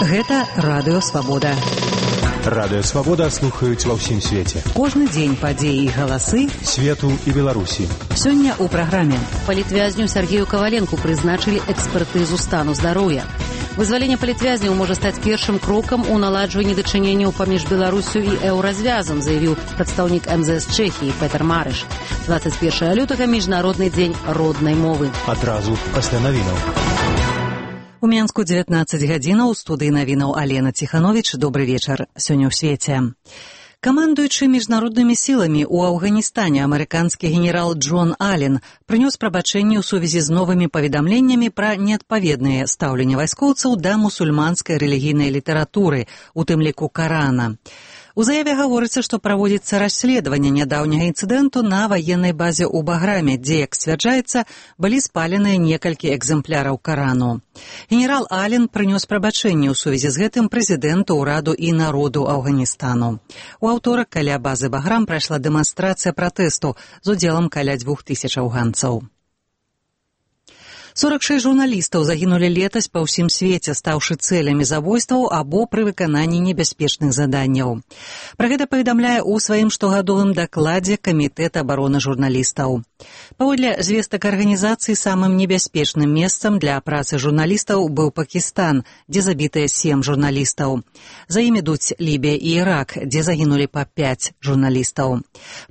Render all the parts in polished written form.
Гэта Радыё Свабода. Радыё Свабода слухаюць ва ўсім свеце. Кожны дзень падзеі і галасы свету і Беларусі. Сёння ў праграме. Палітвязню Сергею Коваленку прызначылі экспертызу стану здароўя. Вызваленне палітвязняў можа стаць першым крокам у наладжванні дачыненняў паміж Беларусю і еўразвязам, заявіў прадстаўнік МЗС Чэхіі Петр Марыш. 21 лютага міжнародны дзень роднай мовы. Адразу пасля навінаў. У Менску 19 гадзінаў, у студыі навінаў Алена Ціхановіч. Добры вечар. Сёння ў свеце. Камандуючы міжнароднымі сіламі ў Афганістане амерыканскі генерал Джон Аллен прынёс прабачэнне ў сувязі з новымі паведамленнямі пра неадпаведнае стаўленне вайскоўцаў да мусульманскай рэлігійнай літаратуры, у тым ліку Карана. У заяве гаворыцца, што праводзіцца расследаванне нядаўняга інцыдэнту на ваеннай базе ў Баграме, дзе, як сцвярджаецца, былі спаленыя некалькі экземпляраў Карану. Генерал Аллен прынёс прабачэнне ў сувязі з гэтым прэзідэнту, ўраду і народу Афганістану. У аўторак каля базы Баграм прайшла дэманстрацыя пратэсту з удзелам каля 2000 афганцаў. 46 журналістаў загінулі летась па ўсім свеце, стаўшы цэлямі забойстваў або пры выкананні небяспечных заданняў. Пра гэта паведамляе ў сваім штогадовым дакладзе Камітэт абароны журналістаў. Паводле звестак арганізацыі, самым небяспечным месцам для працы журналістаў быў Пакістан, дзе забітыя 7 журналістаў. За ім ідуць Лібія і Ірак, дзе загінулі па 5 журналістаў.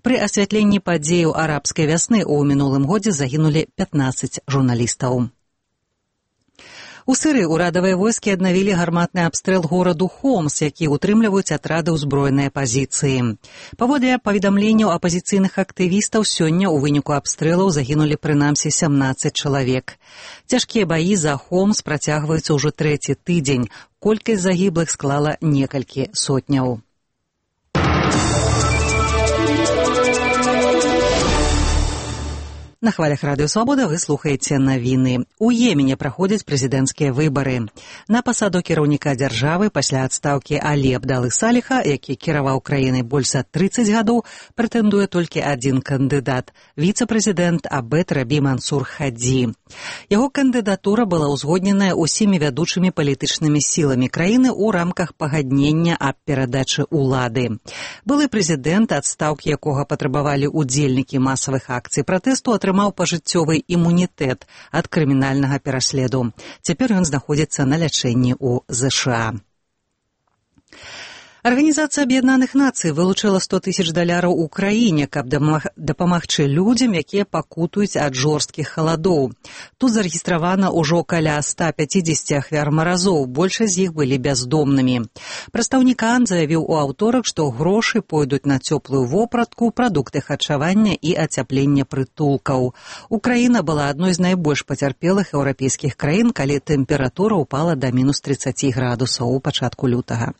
Пры асвятленні падзеяў арабскай вясны ў мінулым годзе загінулі 15 журналістаў. У Сырыі ўрадавыя войскі аднавілі гарматны абстрэл гораду Хомс, які ўтрымліваюць атрады ўзброенай апазіцыі. Паводле паведамленняў апазіцыйных актывістаў, сёння ў выніку абстрэлаў загінулі прынамсі 17 чалавек. Цяжкія баі за Хомс працягваюцца ўжо 3-й тыдзень. Колькасць загіблых склала некалькі сотняў. На хвалях Радыё Свабода вы слухаеце навіны. У Йемене праходзяць прэзідэнцкія выбары. На пасаду кіраўніка дзяржавы пасля адстаўкі Алі Абдалы Саліха, які кіраваў краінай больш за 30 гадоў, прэтэндуе толькі адзін кандыдат – віцэ-прэзідэнт Абед Рабі Мансур Хадзі. Яго кандыдатура была ўзгодненая ўсімі вядучымі палітычнымі сіламі краіны ў рамках пагаднення аб перадачы ўлады. Былы прэзідэнт, адстаўкі якога патрабавалі ўдзельнікі масавых акцый пратэсту, атрымаў пажыццёвы імунітэт ад крымінальнага пераследу. Цяпер ён знаходзіцца на лячэнні ў ЗША. Арганізацыя Аб'яднаных Нацый вылучыла $100 000 у краіне, каб дапамагчы людзям, якія пакутуюць ад жорсткіх халадоў. Тут зарэгістравана ўжо каля 150 ахвяр маразоў, большасць з іх былі бяздомнымі. Прадстаўнік ААН заявіў у аўторак, што грошы пойдуць на цёплую вопратку, прадукты харчавання і ацяпленне прытулкаў. Украіна была адной з найбольш пацярпелых еўрапейскіх краін, калі тэмпература ўпала да мінус 30 градусаў у пачатку лютага.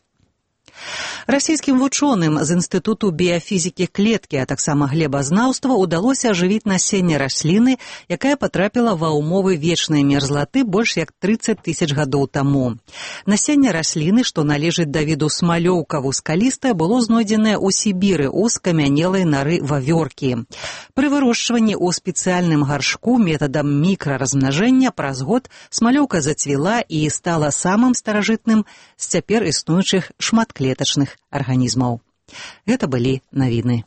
Расійскім вучоным з Інстытуту біяфізікі клеткі, а таксама глебазнаўства удалося ажывіць насенне расліны, якая патрапіла ва ўмовы вечнай мерзлаты больш як 30 000 гадоў таму. Насенне расліны, што належыць да віду смалёўка-вускалістая, было знойдзенае ў Сібіры ў скамянелай нары вавёркі. Пры вырошчванні ў спецыяльным гаршку метадам мікраразмнажэння праз год смалёўка зацвіла і стала самым старажытным з цяпер існуючых шматклетачных арганізмаў. Гэта былі навіны.